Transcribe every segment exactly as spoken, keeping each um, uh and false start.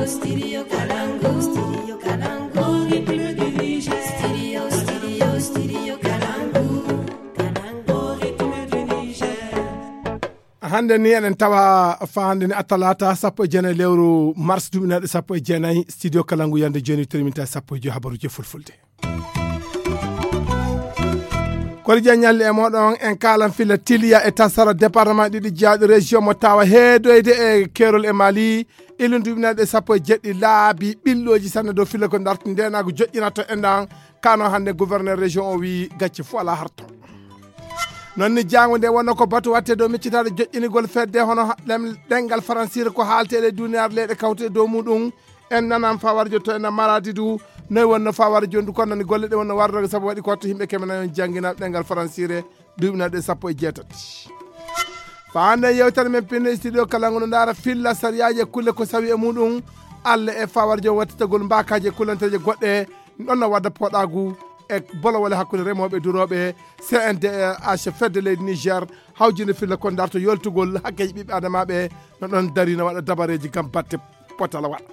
Studio Kalangu, Studio Kalangu, République du Niger. Studio, Studio, Studio Kalangu, Kalangu, République du Niger. Hannde ni eɗen tawa fa hannde ni atalata sappo e jeenayi lewru mars duuɓi naɗe sappo e jeenayi, studio Kalangu yande jooni terminta sappo e joyi habaruji fulfulde. Kori jaññalli e moɗon en kalan fila tiliya e tasara département ɗiɗi jaaɗi région mo tawa heedoyde e kerol e mali. Ilun duuɓi naɗe sappo e jeɗɗi laabi ɓilloji sanne dow fila ko darti ndenago joƴƴinato e ndan kano hannde gouverneur région o wi gacce fo ala harto. Non ni jango nde wonno ko batu watte dow miccitaɗo joƴƴinigol fedde hono ha- ɗem- ɗengal faransire ko haalte e ley duniyar leyɗe kawte dow muɗum. En nanan fawarjo to ena maradi du noy wonno fawarjo ndu kon nani golle ɗe wonno wardoga sabu waɗi ko wattu yimɓe keme nayon jangina ɗengal faransire duuɓinaɗe sappo e jeetati. Fa hande yewtere men pinno e studio kala ngo no ndaara filla sariyaji e kulle ko sawi e muɗum. Allah e fawarjo wattitagol mbakaji e kullanteje goɗɗe ɗon no wadda poɗagu e bolowole hakkunde remoɓe duroɓe. C N D H fedde leydi Niger hawjinde filla ko darto yoltugol hakkeji ɓiɓɓe adamaɓe no ɗon dari no waɗa dabareji gam batte potala waɗa.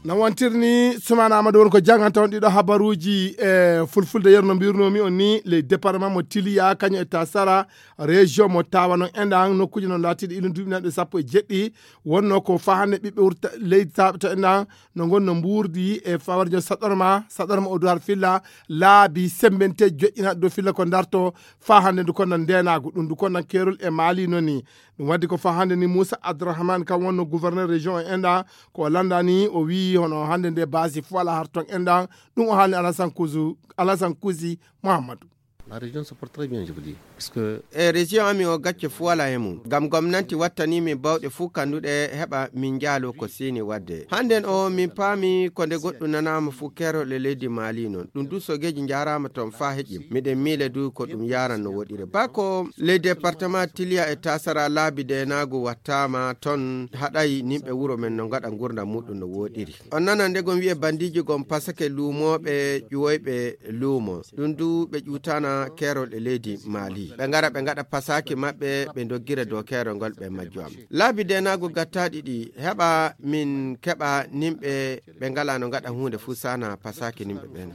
No wontirni sumana amadou won ko janganta on ɗiɗo habaruji e fulfulde yerno mbirnomi on ni ley département mo tiliya kañum e tasara région mo tawa non enɗan nokkuji non latiɗi ilum duuɓinaɗe sappo e jeɗɗi. Wonno ko fahande ɓiɓɓe wurta leydi taɓe to enɗan no gonno mburdi e fawarjo saɗorma saɗorma o duwar filla laabi sembente joƴƴinaɗe dow filla ko darto. Fahande ndu konnan ndenagu ɗum ndu konnan kerol e mali noni. Ɗum waddi ko fahande ni moussa abdourahmane kam wonno gouverneur région e enɗan ko o landani o wi hono hande nde basi fo ala har ton enɗan. Ɗum o haalni alasan kusu alasan kusi mouhammadou. La région se porte très bien, je vous dis. Parce que e région ami o gacce fo wala e mum gam gomnanti wattanimi bawɗe fuu kanduɗe heɓa min njaalo ko sini wadde hannden o min paami ko nde goɗɗum nanama fuu keroɗe leydi mali noon ɗum du sogeji njarama toon faa heƴƴim miɗen miile du ko ɗum yaran no woɗire bako ley département tiliya e tasara laabi denaagu wattama toon haɗay nimɓe wuro men no ngaɗa ngurdam muɗum no woɗiri. On nana nde gom wi'e bandiji gom pasake luumooɓe ƴuwoyɓe luumo ɗum du ɓe ƴuutana keerol e leydi mali ɓe ngara ɓe ngaɗa pasaki maɓɓe ɓe doggira dow keerol ngol ɓe majjo am. Laabi denaago gattaaɗi ɗi heɓa min keɓa nimɓe ɓe ngala no ngaɗa huunde fuu sana pasaki nimɓe ɓen.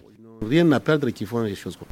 Rien à perdre qui font les choses comme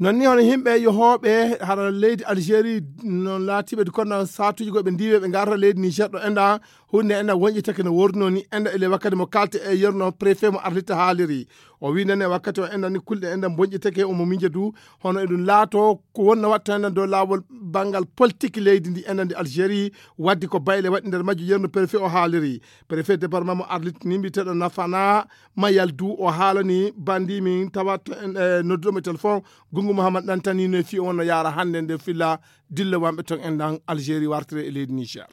non ni hono yimɓe yohooɓe hara leydi algérie non laatiiɓe kono saatuuji goɓe ndiiwe ɓe ngarata leydi niger ɗo enɗa hunde enɗa wonƴitake no worduno ni enɗa ele wakkati mo kalte e yerno préfet mo arlita haaliri. O wi nane wakkati o enɗa ni kulɗe enɗa bonƴitake omo miija du hono eɗum laato ko wonno watta enɗa dow laawol banngal politique leydi ndi enɗa ndi algérie. Waddi ko bayle waɗi nder majjo yerno préfet o haaliri préfet département mo arlitini mbiyeteɗo nafana mayal du o haalani bandi min tawa to en e nodduɗomo e téléphone. Gungu mouhammad ɗantani no e fii o wonno yaara hannde nde filla dille wanɓe ton en ɗan algérie wartire e leydi niger.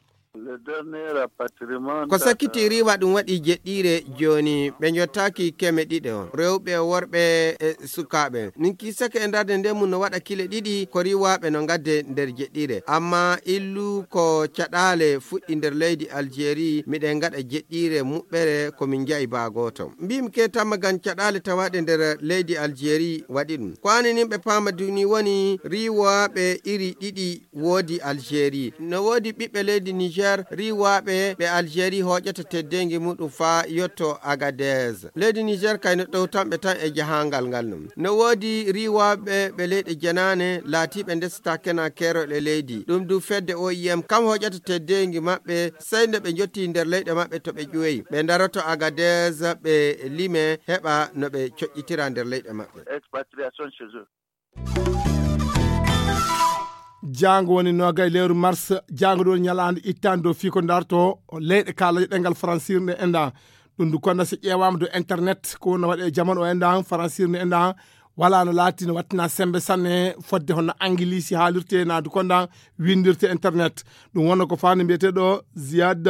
Ko sakkiti riwa ɗum waɗi jeɗɗiire jooni ɓe njottaaki keme ɗiɗo rewɓe worɓe e sukaaɓe. Min kiisake e darde nde mum no waɗa kile ɗiɗi ko riwaaɓe no ngadde nder jeɗɗiire amma illu ko caɗaale fuɗɗi nder leydi algérie miɗen ngaɗa jeɗɗiire muɓɓere ko min njayi baa gooto. Mbimi ke tamma ngam caɗaale tawaaɗe nder leydi algérie waɗi ɗum ko aninin ɓe paama duni woni riwaaɓe iri ɗiɗi woodi algérie no woodi ɓiɓɓe leydi niger riwaaɓe ɓe algérie hooƴata teddeengi muɗum faa yotto agadez. Leydi niger kay no ɗowtanɓe tan e jahangal ngal ɗum no woodi riwaaɓe ɓe leyɗe jenaane laatiiɓe ndesata kena keerol e leydi ɗum du fedde oim kam hooƴata teddeengi maɓɓe sey nde ɓe njotti nder leyɗe maɓɓe to ɓe ƴuwoyi ɓe ndaroto agadez ɓe lime heɓa no ɓe coƴƴitira nder leyɗe maɓɓe. Jaango woni noga e lewru mars. Jaango ɗo woni ñalaande ittaande dow fii ko darto leyɗe kaalaje ɗengal faransirnde enɗan. Ɗum ndu konna so ƴeewaama dow internet ko wonno waɗe e jamanu o enɗan faransirnde enɗan. Wala no laati no wattina sembe sanne fodde hono angilisi haalirte na du kondan windirte internet. Ɗum wonno ko fani mbiyeteɗo ziyad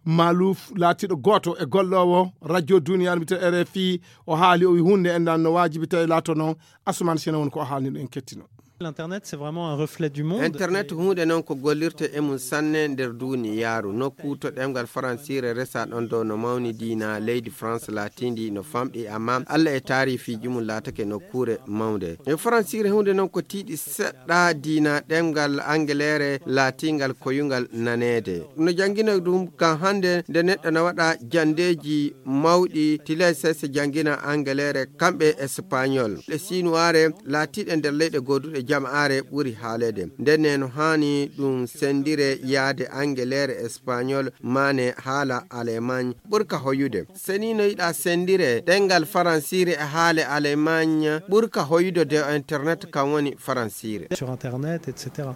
malouf laatiɗo gooto e gollowo radio duniyaru mbiyete rfi. O haali o wi hunde enɗan no wajibi tawi laato noon. Asuman sena woni ko o haalni ɗo en kettino. L'internet, c'est vraiment un reflet du monde. Internet huunde noon ko gollirta e mum sanne nder duniyaaru. Nokku to ɗemngal faransiire resa ɗon dow no mawni diina leydi France laatindi no famɗi, amma Allah e taarifiiji mum laatake nokkuure mawnde. E faransiire huunde noon ko tiiɗi seɗɗa diina ɗemngal angeleere laatingal koyungal naneede. No janngina ɗum kan hannde nde neɗɗo na waɗa janndeeji mawɗi, tilay sese janngina angeleere, kamɓe espagnol. Ɗe sinuwaare laatiiɗe nder leyɗe gooduɗe jama'aare ɓuri haaleede. Ndenne no haani ɗum senndire yaade angeleere, espagnol, maane haala alemagne ɓurka hoyude. Seni no yiɗa senndire ɗemngal faransiire e haale alemagne ɓurka hoyude de internet kan woni faransiire. Sur internet, et cetera.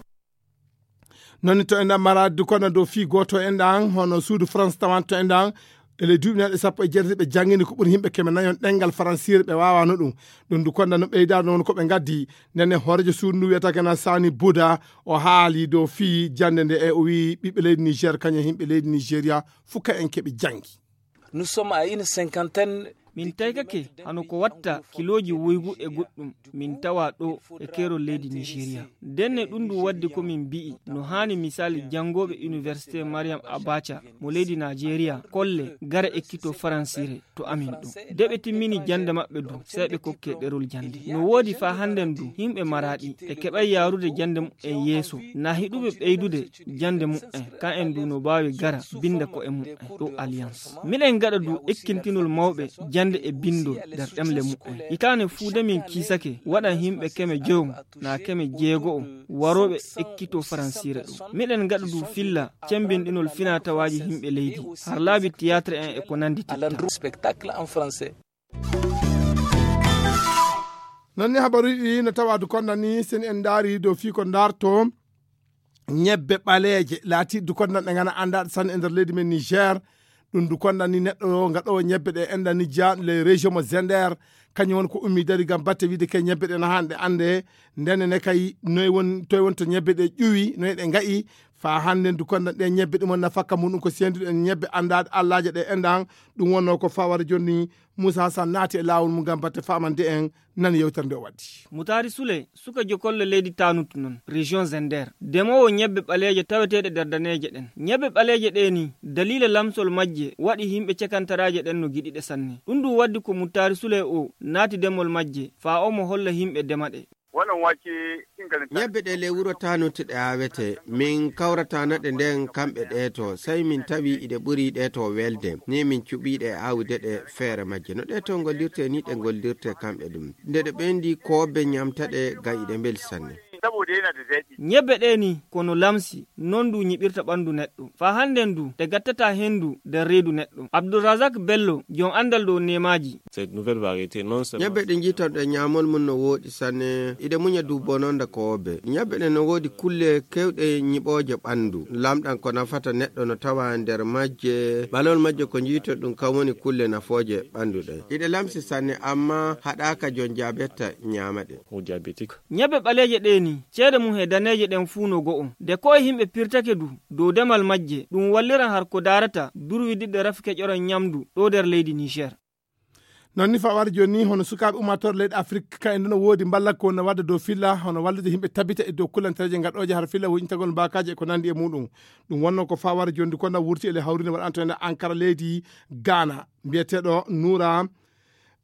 Noon to enɗan maraade du kono dow fii gooto enɗan, hono suudu France tawanto enɗan, e ley duuɓi naɗe sappo e jeetati ɓe janngini ko ɓuri yimɓe keme nayon ɗemngal faransiire ɓe waawaano ɗum. Ɗum du kono no ɓeydaano won ko ɓe ngaddi. Ndenne hooreejo suudu ndu wiyata kena Sani Buda, o haali dow fii jannde nde e o wii ɓiɓɓe leydi Niger kañum e yimɓe leydi Nigeria fuka en keɓi janngi. Nous sommes à une cinquantaine. Min taykake hano ko watta kilooji woygu e goɗɗum min tawa ɗo e keerol leydi Nigeria. Ndenne ɗum ndu waddi ko min mbi'i no haani misali janngooɓe Université Mariam Abacha mo leydi Nigeria kolle gara ekkito faransiire to amin ɗo. De ɓe timmini jannde maɓɓe du, sey ɓe kokke ɗerol jannde. No woodi faa hannden du, yimɓe maraaɗi e keɓay yaarude jannde mu'en yeeso. Na hiɗuɓe ɓeydude jannde mu'en, kan en du no baawi gara binnda ko'e mu'en ɗo Alliance. Miɗen gaɗa du ekkintinol mawɓe jannde e binndol nder ɗemle mu'en. Hitaande fuu de min kiisake waɗan yimɓe keme joyo na keme jeego'o warooɓe ekkito faransiire ɗo. Miɗen gaɗa du filla cemmbinɗinol finaa tawaaji yimɓe leydi, har laabi théâtre en e ko nanndi titta. Spectacle en français. Noon ni habaruuji ɗi no tawa du konda ni, sen en ndaari dow fii ko ndaarto ñebbe ɓaleeje, laati du konda ɗe ngana anndaa sanne e nder leydi men Niger. Ɗum du konda ni neɗɗo o ngaɗoowo ñebbe ɗe enda ni jaa les région mo Zender, kañum woni ko ummi dari ngam batte wiide ke ñebbe ɗe no haani ɗe annde. Ndenne ne kay noy won, toy won to ñebbe ɗe ƴuwi, noy ɗe nga'i, faa hannden du konda ɗe ñebbe ɗi mon nafakka muɗum ko seenduɗen ñebbe anndaade allaaje ɗe endan. Ɗum wonno ko fawara jonni Moussa Hassan naati e laawol mum ngam batte famande en. Nan yewtere nde o waddi. Mutaari Sule, suka jokolle leydi Tanut non, région Zender. Demoowo ñebbe ɓaleeje taweteeɗe nder daneeje ɗen. Ñebbe ɓaleeje ɗe ni, daliila lamsol majje, waɗi yimɓe cekantaraaje ɗen no giɗi ɗe sanne. Ɗum ɗum waddi ko Mutaari Sule o naati demol majje, faa omo holla yimɓe dema ɗe. Ñebbe ɗe ley wuro Tanut ɗe aawete. Min kawrata naɗe nden kamɓe ɗe to. Sey min tawi iɗe ɓuri ɗe to welde. Ni min cuɓi ɗe aawude ɗe feere majje. No ɗe to ngollirte ni ɗe ngollirte kamɓe ɗum. Nde ɗe ɓendi koobe ñamta ɗe gam iɗe mbeli sanne. Ñebbe ɗe ni kono lamsi, non du ñiɓirta ɓandu neɗɗo. Faa hannden du, ɗe gattata hendu nder reedu neɗɗo. Abdulrazak Bello, jom andal dow neemaaji. Cette nouvelle variété, non seulement. Ñebbe ɗe njiiton ɗe ñaamol mum no wooɗi sanne, iɗe muña du bononda koobe. Ñebbe ɗe no woodi kulle kewɗe ñiɓooje ɓandu. Lamɗan ko nafata neɗɗo no tawa nder majje. Ɓalol majje ko njiiton ɗum kan woni kulle nafooje ɓandu ɗe. Iɗe lamsi sanne amma haɗaaka jon jabetta ñaama ɗe. Ou diabétique. Ñebbe ɓaleeje ɗe ni, ceede mum he daneeje ɗen fuu no go'o. De ko e yimɓe pirtake du dow demal majje, ɗum walliran har ko daarata durwidiɗɗe rafi keƴoran ñamdu ɗo nder leydi Niger. Non ni fawar joni hono sukaaɓe ummaatore leyɗe Afrik, ka en no woodi mballa ko no wadda dow filla, hono wallude yimɓe tabita e dow kullantereeje gaɗooje har filla woƴintagol mbaakaaji e ko nandi e muɗum. Ɗum wonno ko fawar joni ko na wurti e le hawrinde waɗanto ene Ankara leydi Ghana. Mbiyeteeɗo Noura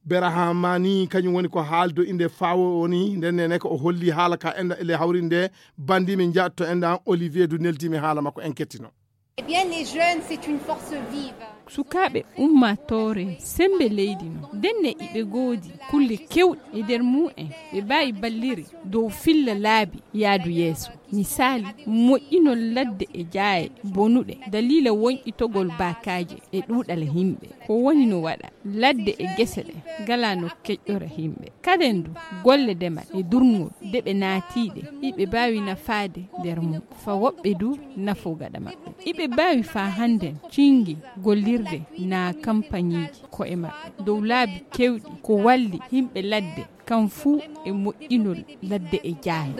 Berahamani, kañum woni ko haaldo inde fawo woni nden nene ko o holli haala ka enda e le hawrinde bandi min jaatto enda Olivier du neldi mi haala makko en kettino. Eh bien, les jeunes, c'est une force vive. Sukaaɓe ummaatoore sembe leydi no. Ndenne iɓe goodi kulle kewɗe e nder mu'en ɓe mbaawi balliri dow filla laabi yaadu yeeso. Misaali, moƴƴinol ladde e jaaye bonuɗe daliila woñƴitogol baakaaje e ɗuuɗal yimɓe. Ko woni no waɗa ladde e gese ɗe ngalaa no keƴɗora yimɓe. Kaden du, golle demal e durngol de ɓe naatiiɗe, iɓe mbaawi nafaade nder mum. Fa woɓɓe du, nafo gaɗa maɓɓe. Iɓe mbaawi faa hannden cinngi gollirde naa kampañiiji ko'e maɓɓe dow laabi keewɗi ko walli yimɓe ladde, kam fuu e moƴƴinol ladde e jaaye.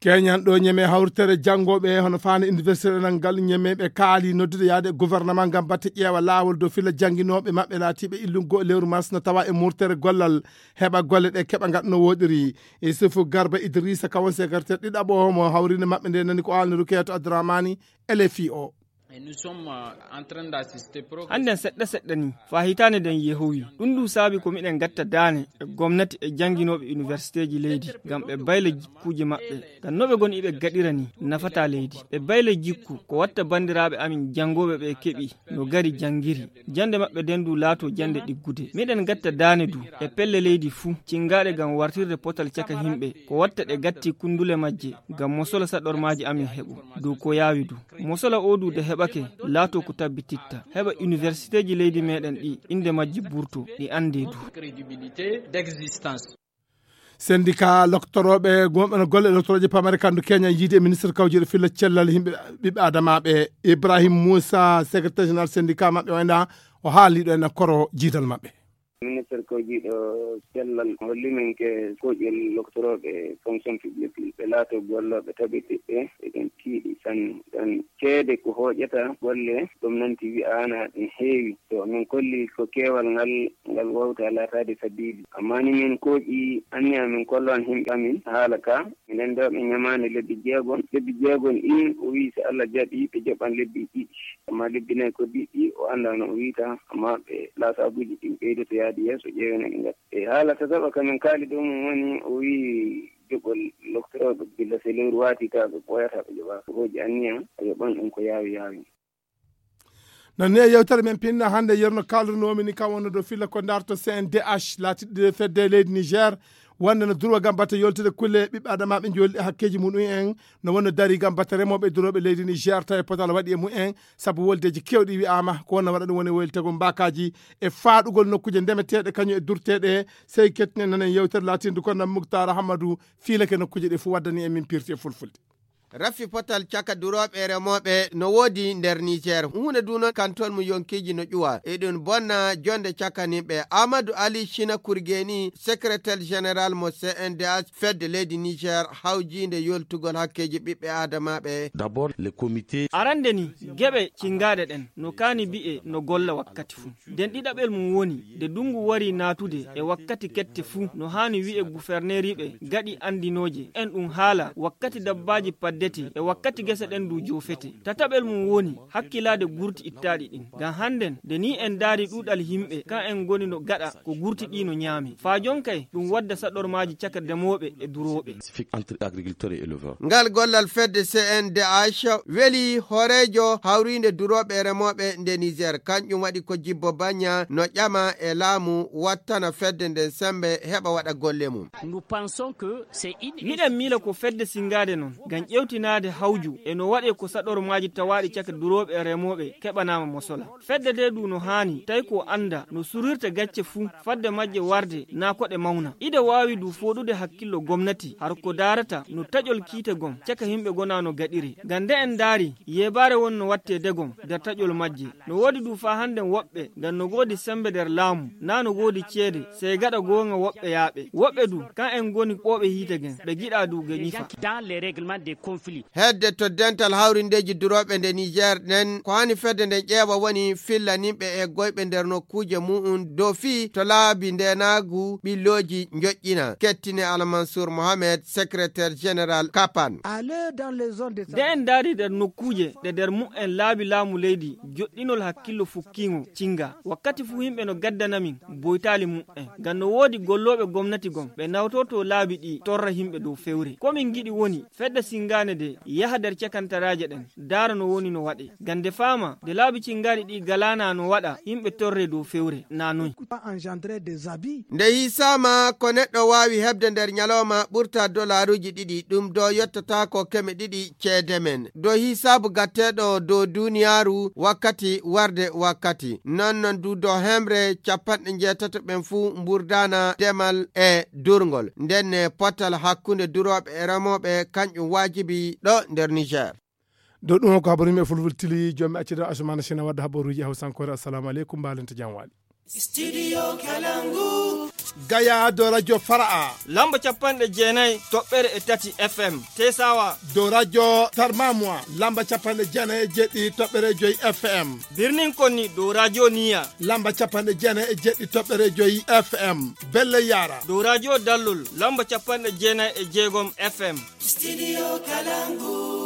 Keñan ɗo ñeme hawritere janngooɓe hono faana université ɗenal ngal, ñeme ɓe kaali noddude yaade gouvernement ngam batte ƴeewa laawol dow filla jannginooɓe maɓɓe laatiiɓe illungo lewru mars no tawa e murtere gollal, heɓa golle ɗe keɓa ngaɗa no woɗiri. Isufu Garba Idrissa, kawon secrétaire ɗiɗaɓo mo hawrinde maɓɓe nde, nani ko haalni Rukeyatou Abdouramani, L F I o. Hannden seɗɗa seɗɗa ni, faa hitaande nden yehowi. Ɗum ndu saabi ko miɗen ngatta daane e gomnati e jannginooɓe universiteeji leydi, ngam ɓe bayla jikkuuji maɓɓe. Ngam no ɓe ngoni iɓe gaɗira ni, nafataa leydi. Ɓe bayla jikku, ko watta banndiraaɓe amin janngooɓe ɓe keɓi, no gari janngiri. Jannde maɓɓe nden ndu laatoo jannde ɗiggude. Miɗen ngatta daane du, e pelle leydi fuu, cinngaaɗe ngam wartirde potal caka yimɓe, ko watta ɗe gatti kunndule majje, ngam mosola saɗormaaji amin heɓo. Dow ko yaawi du. Mosola oo du de heɓake, laatoo ko tabbititta. Heɓa universiteeji leydi meɗen ɗi, innde majji burto, ɗi anndee du. Sendika loktorooɓe gomɓe no golle loktorooje pamare kandu Kenya yiide e ministre kawjiiɗo filla cellal yimɓe ɓiɓɓe adamaaɓe Ibrahim Musa, secrétaire général sendika maɓɓe wayna o haaliɗo en koro jiidal maɓɓe. Ministre kawjiiɗo cellal holli min ke koƴel loktorooɓe fonction publique ɓe laato gollooɓe tabiɗiɓɓe eɗen tiiɗi sanne ɗon ceede ko hooƴata golle gomnanti wi'aana ɗum heewi to min kolli ko keewal ngal ngal wawta laataade sabiibi amma ni min kooƴi anniya min kollo an himɓe amin haala ka minen ɗo ɓe ñamaani lebbi jeegom lebbi jeegom ɗin o wii si allah jaɓi ɓe joɓan lebbi ɗiɗi amma lebbi nayi ko diɗɗi o annda no o wiyta amma ɓe laasabuuji ɗin ɓeydoto yaade yeeso ƴeewen eɗe ngadda e haala tataɓa kamin kaali dow mum woni o wii joɓol loktorooɓe gilla so lewru waati ka ɓe ɓooyata ɓe joɓa ko hooƴi anniya a yoɓan ɗum ko yaawi yaawi. No ni e yewtere men pinna hannde yerno kaaldunomi ni kam wonno dow filla ko darto C N D H laatiɗo fedde leydi Niger wonde no durwa gam batte yoltude kulle ɓiɓɓe adamaaɓe jolɗi hakkeeji muɗum en no wonno dari gam batte remooɓe e durooɓe leydi Niger tawi potal waɗi e mumen sabu woldeeji keewɗi wi'aama ko wonno waɗa ɗum woni weltagol mbaakaaji e faaɗugol nokkuuje ndemeteeɗe kañum e durteeɗe sey kettinen nanen yewtere laatindu ko nam Muktar Hammadou fiilake nokkuuje ɗe fof waddani e min pirti e fulfulde. Rafi potal caka durooɓe e remooɓe no woodi nder Niger. Huunde du noon kanton mo yonkiiji no ƴuwa. Eɗum bonna jonde cakaniiɓe. Amadou Ali China Kurgeni, secrétaire général mo C N D H fedde leydi Niger hawjiinde yoltugol hakkeeji ɓiɓɓe aadamaaɓe. D'abord le comité. Arande ni, geɓe cingaaɗe ɗen no kaani bi'e no golla wakkati fuu. Nden ɗiɗaɓel mum woni, nde ndunngu warii naatude e wakkati kette fuu, no haani wi'e guferneeriiɓe gaɗi anndinooje en ɗum haala wakkati dabbaaji paddetee e wakkati gese ɗen du joofetee. Tataɓel mum woni, hakkilaade gurti ittaaɗi ɗin. Ngam hannden, nde nii en ndaarii ɗuuɗal yimɓe, kan en ngoni no gaɗa ko gurti ɗii no ñaamee. Faa jonkay, ɗum wadda saɗormaaji caka demooɓe e durooɓe. Ngal gollal fedde C N D H weli hooreejo hawriinde durooɓe e remooɓe nde Niger. Kanƴum waɗi ko Jibbo Banya no ƴama e laamu wattana fedde nden semmbe heɓa waɗa golle mum. Miɗen miila ko fedde sinngaade non ngam ƴeewtinaade hawju e no waɗee ko saɗormaaji tawaaɗi caka durooɓe e remooɓe keɓanaama mosola. Fedde ndee du no haani tawi ko annda no surirta gacce fuu fadde majje warde naa ko ɗe mawna. Ida waawi du fooɗude hakkillo gomnati har ko daarata no taƴol kiite gom caka yimɓe gona no gaɗiree. Ngam nde en ndaari yeebaare won no wattee degom nder taƴol majje. No woodi du faa hannden woɓɓe ngam no goodi semmbe nder laamu naa no goodi ceede sey gaɗa goonga woɓɓe yaaɓe. Woɓɓe du kan en ngoni ɓooɓe hiite gen ɓe giɗaa du ge ñifa. Hedde to dental hawrindeeji durooɓe nde Niger nden ko hani fedde nden ƴeewa woni filla nimɓe e goyɓe nder nokkuuje mu'un dow fii to laabi ndeenaagu ɓillooji njoƴƴina. Kettine Almansour Mohamed, secrétaire général Kapan. Nde en ndaari nder nokkuuje ɗe nder mu'en laabi laamu leydi joɗɗinol hakkillo fukkiingo cinga wakkati fuu yimɓe no gaddana min boytaali mu'en ngam no woodi gollooɓe gomnati gom ɓe nawtorto laabi ɗi torra yimɓe dow fewre. Ko min ngiɗi woni fedde sinngaande nde yaha nder cakantaraaje ɗen ndaara no woni no waɗee ngam nde faama nde laabi cinngaaɗi ɗi galaana no waɗa yimɓe torree dow fewre naa noy. Nde hiisaama ko neɗɗo waawi heɓde nder ñalawma ɓurta dolaaruuji ɗiɗi ɗum do yottataako keme ɗiɗi ceede men do hiisaabu gatteeɗo dow duuniyaaru wakkati warde wakkati non non du dow hemre capanɗe njeetato ɓen fuu mburdaana demal e durngol ndenne potal hakkunde durooɓe e remooɓe kanƴum waajibi ɗo nder Niger. Dow ɗum ko habaru yimɓe fulfultili joomɓe accida asumana sina wadda habaruuji e hawsankoore. Assalamu aleykum, mbaalente jam waali. Studio Kalangu. Gaya dow radio Fara'a. Lamba capanɗe jeenayi toɓɓere e tati F M. Tesawa. Dow radio Tarmamwa. Lamba capanɗe jeenayi e jeɗɗi toɓɓere joyi F M. Birnin Konni dow radio Niya. Lamba capanɗe jeenayi e jeɗɗi toɓɓere joyi F M. Belle Yara. Dow radio Dallol. Lamba capanɗe jeenayi e jeegom F M. Studio Kalangu.